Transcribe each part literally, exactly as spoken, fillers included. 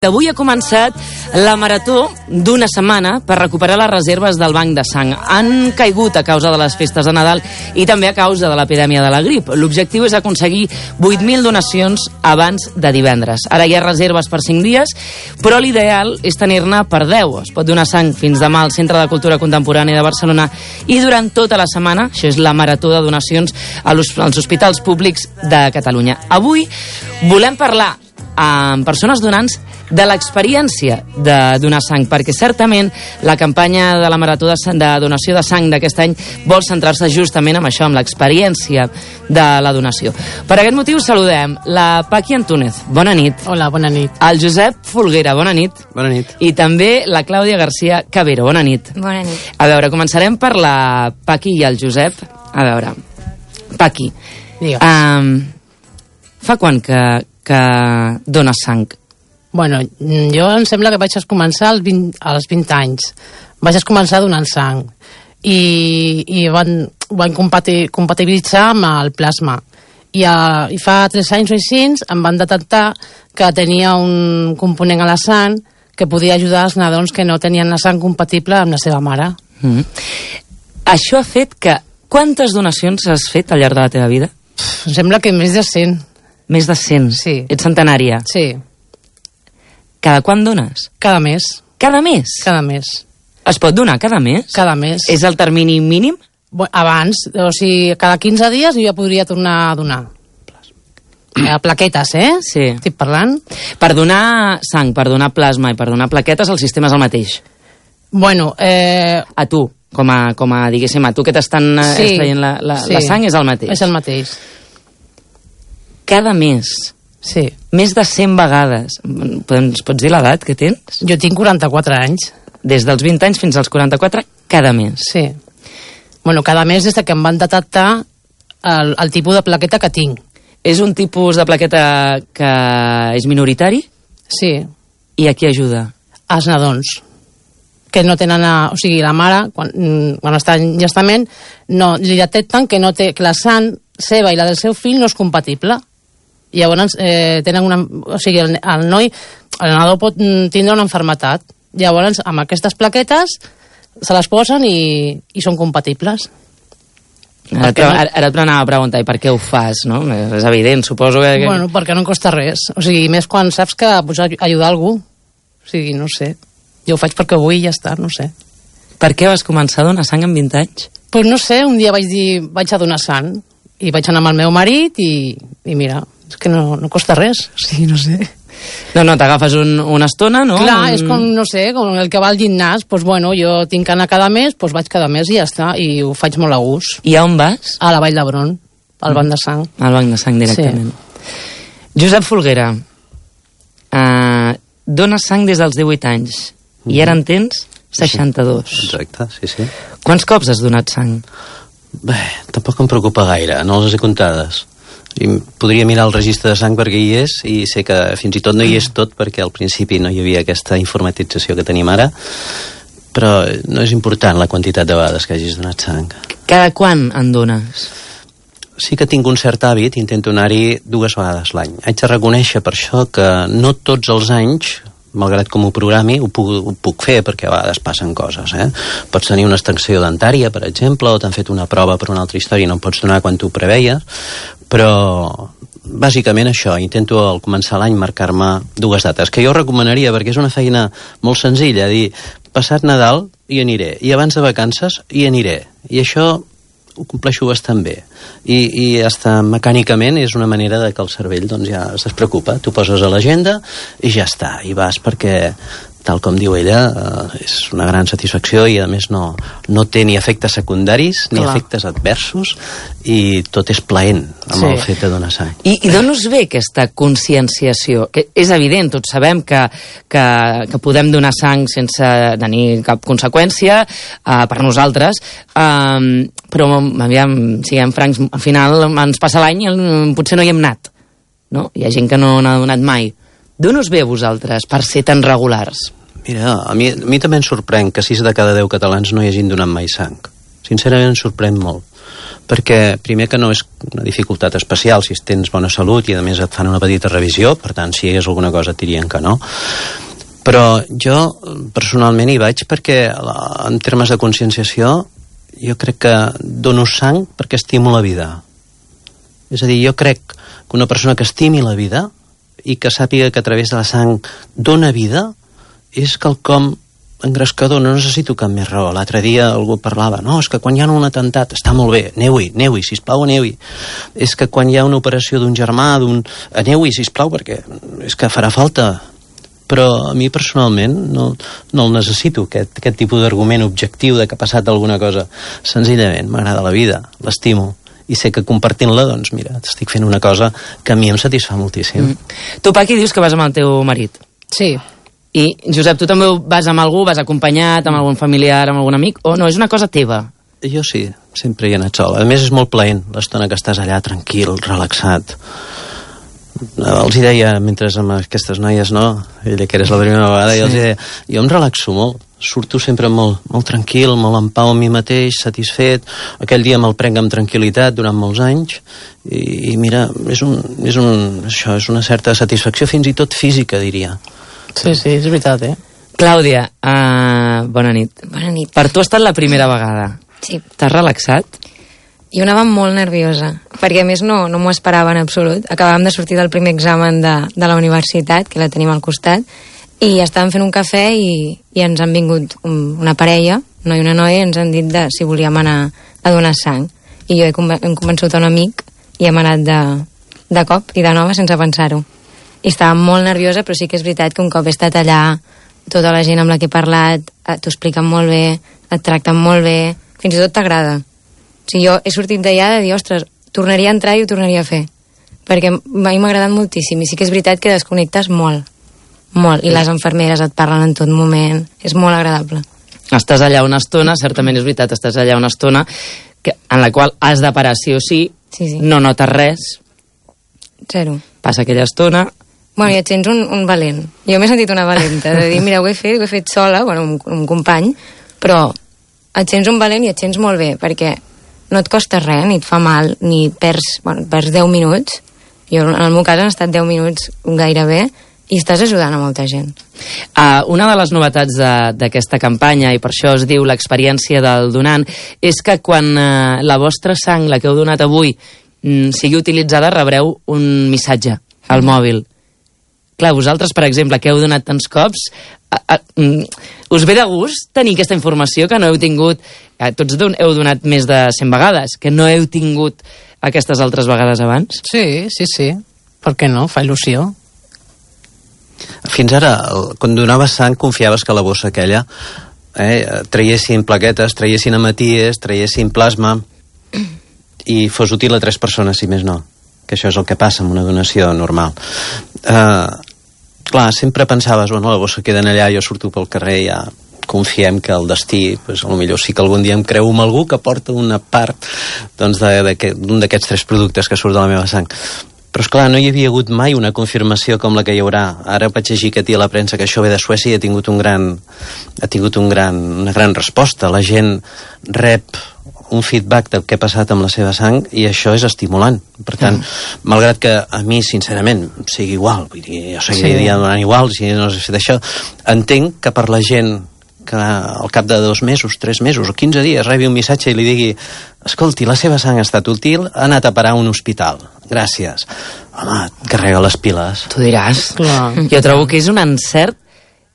Avui ha començat la marató d'una setmana per recuperar les reserves del banc de sang. Han caigut a causa de les festes de Nadal i també a causa de l'epidèmia de la grip. L'objectiu és aconseguir vuit mil donacions abans de divendres. Ara hi ha reserves per cinc dies, però l'ideal és tenir-ne per deu. Es pot donar sang fins demà al Centre de Cultura Contemporània de Barcelona i durant tota la setmana, això és la marató de donacions als hospitals públics de Catalunya. Avui volem parlar amb persones donants de l'experiència de donar sang, perquè certament la campanya de la Marató de, sang, de donació de sang d'aquest any vol centrar-se justament en això, amb l'experiència de la donació. Per aquest motiu saludem la Paqui Antúnez. Bona nit. Hola, bona nit. El Josep Folguera. Bona nit. Bona nit. I també la Clàudia García Cabero. Bona nit. Bona nit. A veure, començarem per la Paqui i el Josep. A veure, Paqui, um, fa quan que, que dones sang? Bueno, jo em sembla que vaig començar als vint, als vint anys. Vaig començar donant sang i, i van, van compati, compatibilitzar amb el plasma. I, a, I fa tres anys o així em van detectar que tenia un component a la sang que podia ajudar els nadons que no tenien la sang compatible amb la seva mare. Mm. Això ha fet que... Quantes donacions has fet al llarg de la teva vida? Pff, em sembla que més de cent. Més de cent? Sí. Ets centenària? Sí. Cada quan dones? Cada mes. Cada mes? Cada mes. Es pot donar cada mes? Cada mes. És el termini mínim? Bueno, abans, o sigui, cada quinze dies jo ja podria tornar a donar. Eh, plaquetes, eh? Sí. Estic parlant. Per donar sang, per donar plasma i per donar plaquetes, el sistema és el mateix? Bueno, eh... A tu, com a, com a diguéssim, a tu que t'estan sí, extraient la, la, sí. la sang, és el mateix? És el mateix. Cada mes? Sí. Més de cent vegades. Ens pots dir l'edat que tens? Jo tinc quaranta-quatre anys. Des dels vint anys fins als quaranta-quatre, cada mes? Sí. Bueno, cada mes des que em van detectar el, el tipus de plaqueta que tinc. És un tipus de plaqueta que és minoritari? Sí. I a qui ajuda? Els nadons. Que no tenen... A, o sigui, la mare, quan, quan està en gestament, no, li detecten que, no té, que la sang seva i la del seu fill no és compatible. I llavors eh, tenen una... O sigui, el, el noi, el nadó pot tindre una malaltia. Llavors, amb aquestes plaquetes se les posen i, i són compatibles. Ara, no... ara, ara et anava a preguntar, i per què ho fas, no? És evident, suposo que... Bueno, perquè no em costa res. O sigui, més quan saps que pots ajudar algú. O sigui, no sé. Jo ho faig perquè vull i ja està, no sé. Per què vas començar a donar sang amb vint anys? Pues no sé, un dia vaig dir, vaig a donar sang. I vaig anar amb el meu marit i, i mira, és que no, no costa res. O sigui, no sé. No, no, t'agafes un, una estona, no? Clar, és com, no sé, com el que va al gimnàs. Pues bueno, jo tinc que anar cada mes, pues vaig cada mes i ja està. I ho faig molt a gust. I a on vas? A la Vall d'Hebron, al banc de sang. Al banc de sang, directament. Sí. Josep Folguera, uh, dones sang des dels divuit anys. Mm-hmm. I ara en tens seixanta-dos. Exacte, sí, sí. Quants cops has donat sang? Bé, tampoc em preocupa gaire, no les he comptades. I podria mirar el registre de sang perquè hi és, i sé que fins i tot no hi és tot perquè al principi no hi havia aquesta informatització que tenim ara, però no és important la quantitat de vegades que hagis donat sang. Cada quan en dones? Sí que tinc un cert hàbit, intento anar-hi dues vegades l'any. Haig de reconèixer per això que no tots els anys, malgrat com ho programi, ho puc, ho puc fer, perquè a vegades passen coses, eh? Pots tenir una extensió dentària, per exemple, o t'han fet una prova per una altra història i no em pots donar quan tu preveies, però bàsicament això, intento al començar l'any marcar-me dues dates, que jo recomanaria perquè és una feina molt senzilla, dir, passat Nadal hi aniré, i abans de vacances hi aniré, i això ho compleixo bastant bé, i, i hasta mecànicament és una manera de que el cervell doncs, ja es despreocupa, tu poses a l'agenda i ja està, i vas perquè tal com diu ella, eh, és una gran satisfacció i a més no, no té ni efectes secundaris ni Clar. efectes adversos i tot és plaent amb Sí. el fet de donar sang. I, i d'on us ve aquesta conscienciació? Que és evident, tots sabem que, que, que podem donar sang sense tenir cap conseqüència uh, per nosaltres, um, però aviam, siguem francs, al final ens passa l'any i potser no hi hem anat, no? Hi ha gent que no n'ha donat mai. D'on us ve a vosaltres per ser tan regulars? Mira, a mi, a mi també em sorprèn que sis de cada deu catalans no hi hagin donat mai sang. Sincerament em sorprèn molt. perquè primer que no és una dificultat especial si tens bona salut i a més et fan una petita revisió, per tant si hi hagués alguna cosa et dirien que no, però jo personalment hi vaig perquè en termes de conscienciació jo crec que dono sang perquè estimo la vida. És a dir, jo crec que una persona que estimi la vida i que sàpiga que a través de la sang dona vida és quelcom engrescador, no necessito cap més raó. L'altre dia algú parlava, no, és que quan hi ha un atemptat, està molt bé, aneu-hi, aneu-hi, sisplau, aneu-hi. És que quan hi ha una operació d'un germà, d'un... aneu-hi, sisplau, perquè és que farà falta. Però a mi personalment no, no el necessito, aquest, aquest tipus d'argument objectiu de que ha passat alguna cosa. Senzillament, m'agrada la vida, l'estimo. I sé que compartint-la, doncs mira, estic fent una cosa que a mi em satisfà moltíssim. Mm. Tu, Paqui, dius que vas amb el teu marit. Sí. I, Josep, tu també vas amb algú, vas acompanyat, amb algun familiar, amb algun amic, o no, és una cosa teva? Jo sí, sempre hi he anat sol. A més, és molt plaent l'estona que estàs allà, tranquil, relaxat. Els hi deia, mentre amb aquestes noies, no? Ella que eres la primera vegada, sí. I els hi deia, jo em relaxo molt, surto sempre molt, molt tranquil, molt en pau amb mi mateix, satisfet. Aquell dia me'l prenc amb tranquil·litat durant molts anys i, i mira, és, un, és, un, això, és una certa satisfacció, fins i tot física, diria. Sí, sí, és veritat, eh? Clàudia, uh, bona nit. Bona nit. Per tu ha estat la primera vegada. Sí. T'has relaxat? Jo anava molt nerviosa, perquè a més no, no m'ho esperava en absolut. Acabàvem de sortir del primer examen de, de la universitat, que la tenim al costat, i estàvem fent un cafè i, i ens han vingut un, una parella, noi i una noia, i ens han dit de, si volíem anar a donar sang. I jo he, conven he convençut un amic i hem anat de, de cop i de nova sense pensar-ho. I estava molt nerviosa, però sí que és veritat que un cop he estat allà, tota la gent amb la que he parlat, t'ho expliquen molt bé, et tracten molt bé, fins i tot t'agrada. O sigui, jo he sortit d'allà de dir, ostres, tornaria a entrar i ho tornaria a fer. Perquè a mi m'ha agradat moltíssim, i sí que és veritat que desconnectes molt, molt, i les infermeres et parlen en tot moment, és molt agradable. Estàs allà una estona, certament és veritat, estàs allà una estona que, en la qual has de parar sí o sí, sí, sí. No notes res. Zero. Passa aquella estona... Bueno, i et sents un, un valent. Jo m'he sentit una valenta, de dir, mira, ho he fet, ho he fet sola, bueno, un, un company, però et sents un valent i et sents molt bé, perquè no et costa res, ni et fa mal, ni perds, bueno, perds deu minuts. Jo, en el meu cas, han estat deu minuts gairebé, i estàs ajudant a molta gent. Uh, una de les novetats d'aquesta campanya, i per això es diu l'experiència del donant, és que quan uh, la vostra sang, la que heu donat avui, mm, sigui utilitzada, rebreu un missatge al mòbil. Clar, vosaltres, per exemple, que heu donat tants cops, a, a, us ve de gust tenir aquesta informació que no heu tingut, eh, tots don, heu donat més de cent vegades, que no heu tingut aquestes altres vegades abans? Sí, sí, sí. Per què no? Fa il·lusió. Fins ara, quan donaves sang, confiaves que la bossa aquella eh, traiessin plaquetes, traiessin hematies, traiessin plasma i fos útil a tres persones, si més no. Que això és el que passa amb una donació normal. Uh, clar, sempre pensaves, bueno, la bossa queda allà, jo surto pel carrer, ja confiem que el destí, pues, potser sí que algun dia em creu amb algú que porta una part doncs, d'un d'aquests tres productes que surt de la meva sang. Però, esclar, no hi havia hagut mai una confirmació com la que hi haurà. Ara vaig llegir que a la premsa que això ve de Suècia i ha tingut, un gran, ha tingut un gran, una gran resposta. La gent rep un feedback del que ha passat amb la seva sang i això és estimulant. Per tant, mm. malgrat que a mi, sincerament, sigui igual, vull dir, jo seguiria sí. donant igual si no s'ha fet això, entenc que per la gent que al cap de dos mesos, tres mesos o quinze dies rebi un missatge i li digui escolti, la seva sang ha estat útil, ha anat a parar a un hospital. Gràcies. Home, carrega les piles. Tu diràs. Clar. Jo trobo que és un encert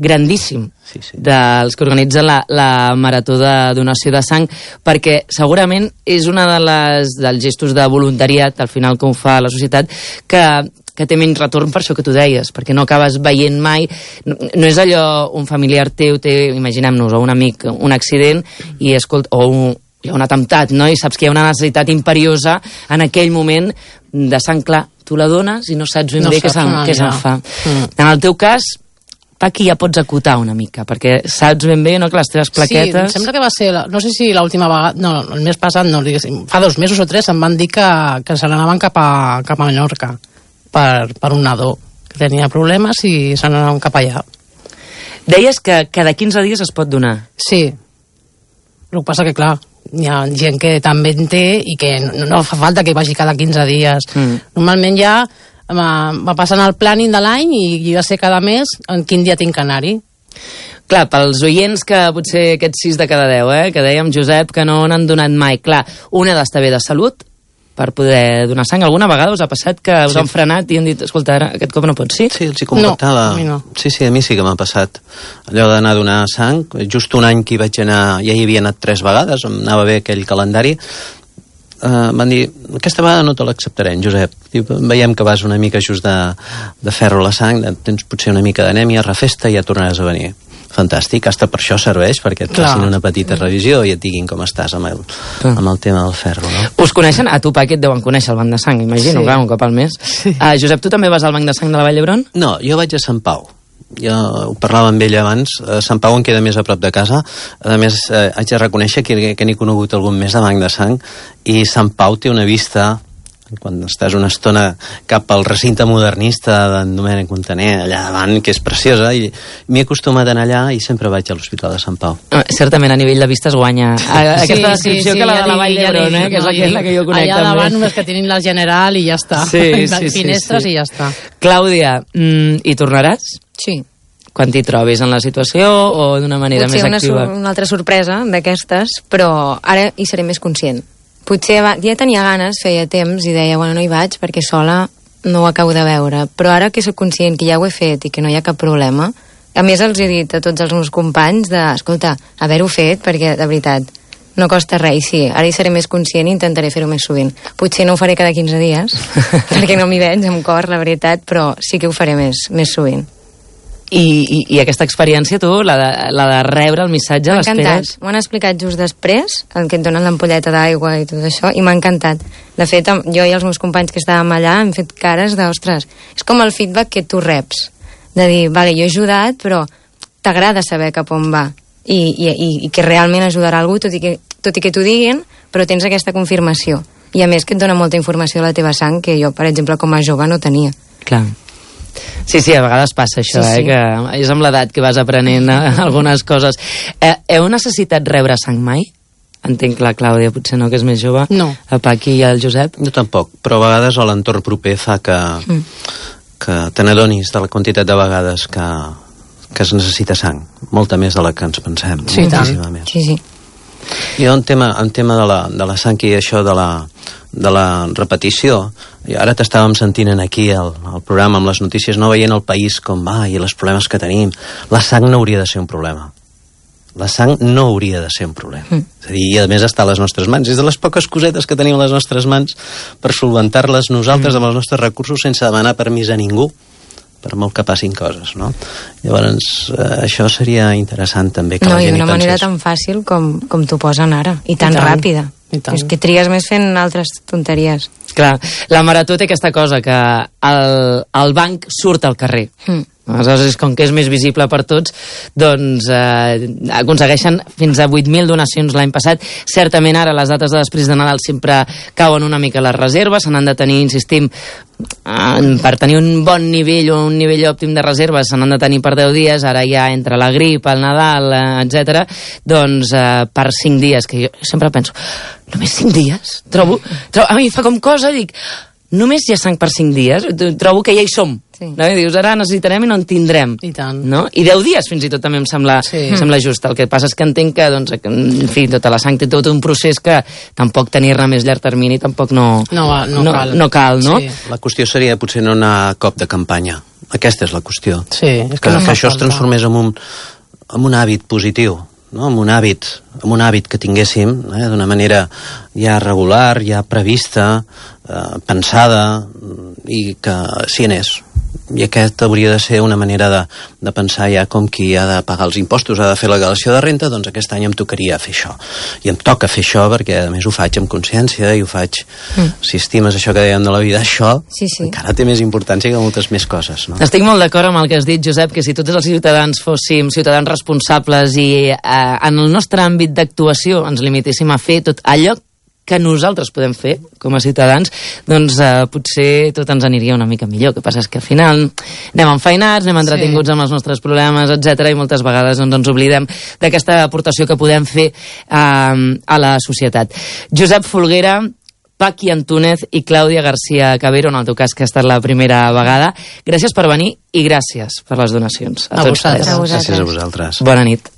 grandíssim sí, sí. dels que organitzen la, la marató de donació de sang, perquè segurament és una de les dels gestos de voluntariat, al final que ho fa la societat, que que té menys retorn per això que tu deies, perquè no acabes veient mai, no, no és allò un familiar teu té, imaginem-nos, o un amic, un accident, i escolta, o un, hi ha un atemptat, no? I saps que hi ha una necessitat imperiosa en aquell moment de sang, clar, tu la dones i no saps ben no bé què se'n se fa. Mm. En el teu cas, Paqui, ja pots acotar una mica, perquè saps ben bé, no?, que les teves plaquetes... Sí, em sembla que va ser, la, no sé si l'última vegada, no, el mes passat, no, diguéssim, fa dos mesos o tres em van dir que, que se n'anaven cap a, cap a Menorca per, per un nadó que tenia problemes i se n'anaven cap allà. Deies que cada quinze dies es pot donar. Sí, el que passa que, clar, hi ha gent que també en té i que no, no fa falta que vagi cada quinze dies. Mm. Normalment ja va, va passant el planning de l'any i jo ja sé cada mes en quin dia tinc que anar-hi. Clar, pels oients que potser aquests sis de cada deu, eh, que dèiem, Josep, que no n'han donat mai, clar, una ha d'estar bé de salut per poder donar sang. Alguna vegada us ha passat que us sí. han frenat i han dit, escolta, ara, aquest cop no pots, sí? Sí, els hi contactava. No, a mi no. Sí, sí, a mi sí que m'ha passat allò d'anar a donar sang. Just un any que hi vaig anar, ja hi havia anat tres vegades, em anava bé aquell calendari. Uh, van dir, aquesta vegada no te l'acceptarem, Josep. Diu, veiem que vas una mica just de, de ferro a la sang, tens potser una mica d'anèmia, refesta i ja tornaràs a venir. Fantàstic, hasta per això serveix, perquè et facin una petita revisió i et diguin com estàs amb el, amb el tema del ferro, no? Us coneixen? A tu, Paquet, deuen conèixer el banc de sang, imagino, sí. clar, un cop al mes. Sí. Uh, Josep, tu també vas al banc de sang de la Vall d'Hebron? No, jo vaig a Sant Pau. Jo ho parlava amb ell abans. A Sant Pau em queda més a prop de casa. A més, eh, haig de reconèixer que, que n'he conegut algun més de banc de sang, i Sant Pau té una vista, quan estàs una estona cap al recinte modernista d'en Domènec Montaner, allà davant, que és preciosa, i m'he acostumat a anar allà i sempre vaig a l'Hospital de Sant Pau. Ah, certament, a nivell de vista es guanya a, aquesta sí, descripció sí, sí, que la de la Vall d'Hebron, eh, que és, no, la, la que jo conec allà també. Allà davant només que tenim la General i ja està. Sí, sí, finestres sí, sí. i ja està. Clàudia, mm, hi tornaràs? Sí. Quan t'hi trobis en la situació o d'una manera potser més activa? Potser una, una altra sorpresa d'aquestes, però ara hi seré més conscient. Potser ja tenia ganes, feia temps, i deia, bueno, no hi vaig perquè sola no ho acabo de veure, però ara que soc conscient que ja ho he fet i que no hi ha cap problema, a més els he dit a tots els meus companys de, escolta, haver-ho fet, perquè de veritat no costa res, i sí, ara hi seré més conscient i intentaré fer-ho més sovint. Potser no ho faré cada quinze dies, perquè no m'hi veig amb cor, la veritat, però sí que ho faré més, més sovint. I, i, i aquesta experiència, tu, la de, la de rebre el missatge, l'esperes? M'ho han explicat just després, el que et donen l'ampolleta d'aigua i tot això, i m'ha encantat. De fet, jo i els meus companys que estàvem allà hem fet cares de, ostres, és com el feedback que tu reps, de dir, vale, jo he ajudat, però t'agrada saber cap on va, i, i, i que realment ajudarà algú, tot i que, tot i que t'ho diguin, però tens aquesta confirmació. I a més que et dona molta informació de la teva sang, que jo, per exemple, com a jove no tenia. Clar. Sí, sí, a vegades passa això, sí, sí. eh, que és amb l'edat que vas aprenent algunes coses. Eh, heu necessitat rebre sang mai? Entenc la Clàudia, potser no, que és més jove. No. El Paqui i el Josep? Jo tampoc, però a vegades l'entorn proper fa que, mm. que te n'adonis de la quantitat de vegades que, que es necessita sang. Molta més de la que ens pensem. Sí, tant. Sí, sí. I en tema, en tema de, la, de la sang i això de la, de la repetició, i ara t'estàvem sentint aquí al, al programa amb les notícies, no veient el país com va i els problemes que tenim. La sang no hauria de ser un problema. La sang no hauria de ser un problema. Mm. És a dir, i a més està a les nostres mans. És de les poques cosetes que tenim a les nostres mans per solventar-les nosaltres mm. amb els nostres recursos sense demanar permís a ningú, per molt que passin coses, no? Llavors, eh, això seria interessant també que no, la gent hi pensés. No, i d'una manera tan fàcil com, com t'ho posen ara, i tan, I tan ràpida. I tant. És que trigues més fent altres tonteries. Clar, la Marató té aquesta cosa, que el, el banc surt al carrer. Mm. Aleshores, com que és més visible per tots, doncs eh, aconsegueixen fins a vuit mil donacions l'any passat. Certament ara les dates de després de Nadal sempre cauen una mica les reserves, se n'han de tenir, insistim, eh, per tenir un bon nivell o un nivell òptim de reserves se n'han de tenir per deu dies, ara ja entre la grip, el Nadal, eh, etcètera, doncs eh, per cinc dies, que jo sempre penso, només cinc dies? Trobo, trobo, a mi fa com cosa, dic, només hi ha sang per cinc dies? Trobo que ja hi som. Sí. No? I dius, ara necessitarem i no en tindrem. I tant. No? I deu dies fins i tot també em sembla, sí. em sembla just. El que passa és que entenc que, doncs, en fi, tota la sang té tot un procés que tampoc tenir-ne més llarg termini tampoc no, no, no, no cal. No cal, no? Sí. La qüestió seria potser no anar a cop de campanya. Aquesta és la qüestió. Sí, és que, que, no que això es transformés en un, en un hàbit positiu, no? en un hàbit, en un hàbit que tinguéssim eh, d'una manera ja regular, ja prevista, eh, pensada, i que s'hi anés. I aquest hauria de ser una manera de, de pensar ja com qui ha de pagar els impostos, ha de fer la declaració de renta, doncs aquest any em tocaria fer això. I em toca fer això perquè a més ho faig amb consciència i ho faig, mm. si estimes això que dèiem de la vida, això sí, sí. encara té més importància que moltes més coses. No? Estic molt d'acord amb el que has dit, Josep, que si tots els ciutadans fóssim ciutadans responsables i eh, en el nostre àmbit d'actuació ens limitéssim a fer tot allò que nosaltres podem fer com a ciutadans, doncs eh, potser tot ens aniria una mica millor. El que passa és que al final anem enfeinats, anem entretinguts sí. amb els nostres problemes, etcètera, i moltes vegades doncs, ens oblidem d'aquesta aportació que podem fer eh, a la societat. Josep Folguera, Paqui Antúnez i Clàudia García Cabero, en el teu cas que ha estat la primera vegada. Gràcies per venir i gràcies per les donacions. A, a vosaltres. Gràcies a vosaltres. Bona nit.